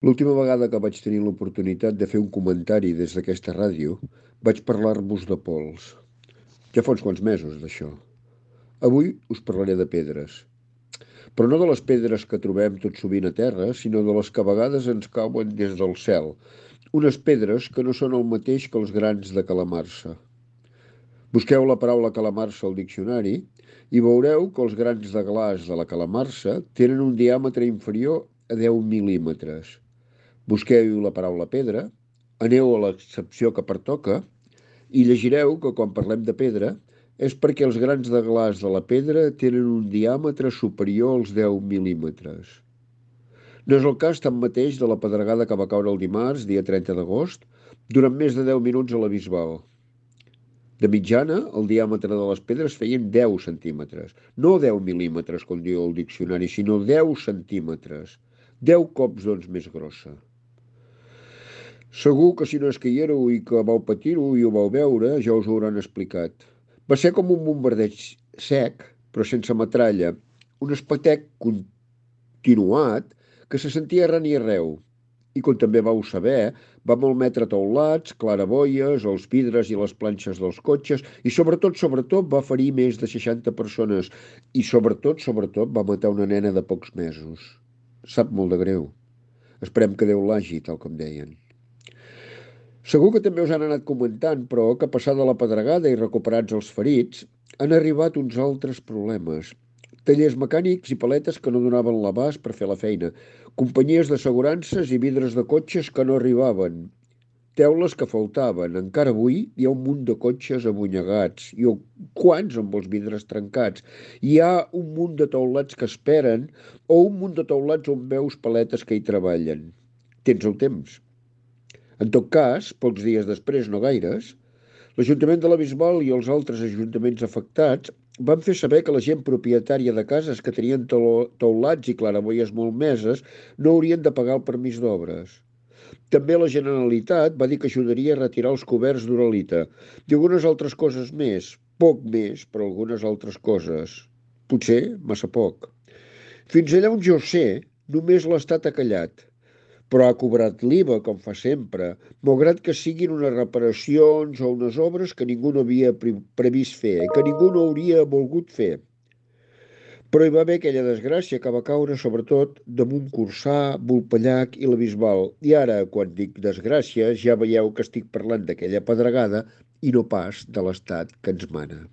L'última vegada que vaig tenir l'oportunitat de fer un comentari des d'aquesta ràdio, vaig parlar-vos de pols. Ja fa uns quants mesos, d'això. Avui us parlaré de pedres. Però no de les pedres que trobem tot sovint a terra, sinó de les que a vegades ens cauen des del cel. Unes pedres que no són el mateix que els grans de calamarsa. Busqueu la paraula calamarsa al diccionari i veureu que els grans de glaç de la calamarsa tenen un diàmetre inferior a 10 mil·límetres. Busqueu la paraula pedra, aneu a l'excepció que pertoca i llegireu que quan parlem de pedra és perquè els grans de glaç de la pedra tenen un diàmetre superior als 10 mil·límetres. No és el cas tanmateix de la pedregada que va caure el dimarts, dia 30 d'agost, durant més de 10 minuts a la Bisbal. De mitjana, el diàmetre de les pedres feien 10 centímetres. No 10 mil·límetres, com diu el diccionari, sinó 10 centímetres. 10 cops, doncs, més grossa. Segur que si no és que hi éreu i que vau patir-ho i ho vau veure, ja us ho hauran explicat. Va ser com un bombardeig sec, però sense metralla, un espetec continuat que se sentia arran i arreu. I com també vau saber, va malmetre teulats, claraboies, els vidres i les planxes dels cotxes i sobretot va ferir més de 60 persones i sobretot va matar una nena de pocs mesos. Sap molt de greu. Esperem que Déu l'hagi, tal com deien. Segur que també us han anat comentant, però, que passada la pedregada i recuperats els ferits, han arribat uns altres problemes. Tallers mecànics i paletes que no donaven l'abast per fer la feina, companyies d'assegurances i vidres de cotxes que no arribaven, teules que faltaven. Encara avui hi ha un munt de cotxes abunyegats i quants amb els vidres trencats. Hi ha un munt de teulats que esperen o un munt de teulats on veus paletes que hi treballen. Tens el temps. En tot cas, pocs dies després, no gaires, l'Ajuntament de la Bisbal i els altres ajuntaments afectats van fer saber que la gent propietària de cases que tenien teulats i claraboies malmeses no haurien de pagar el permís d'obres. També la Generalitat va dir que ajudaria a retirar els coberts d'uralita i algunes altres coses més, poc més, però algunes altres coses. Potser massa poc. Fins allà on jo sé, només l'Estat ha callat, però ha cobrat l'IVA, com fa sempre, malgrat que siguin unes reparacions o unes obres que ningú no havia previst fer, que ningú no hauria volgut fer. Però hi va haver aquella desgràcia que va caure sobretot damunt Corçà, Vulpellac i la Bisbal. I ara, quan dic desgràcia, ja veieu que estic parlant d'aquella pedregada i no pas de l'estat que ens mana.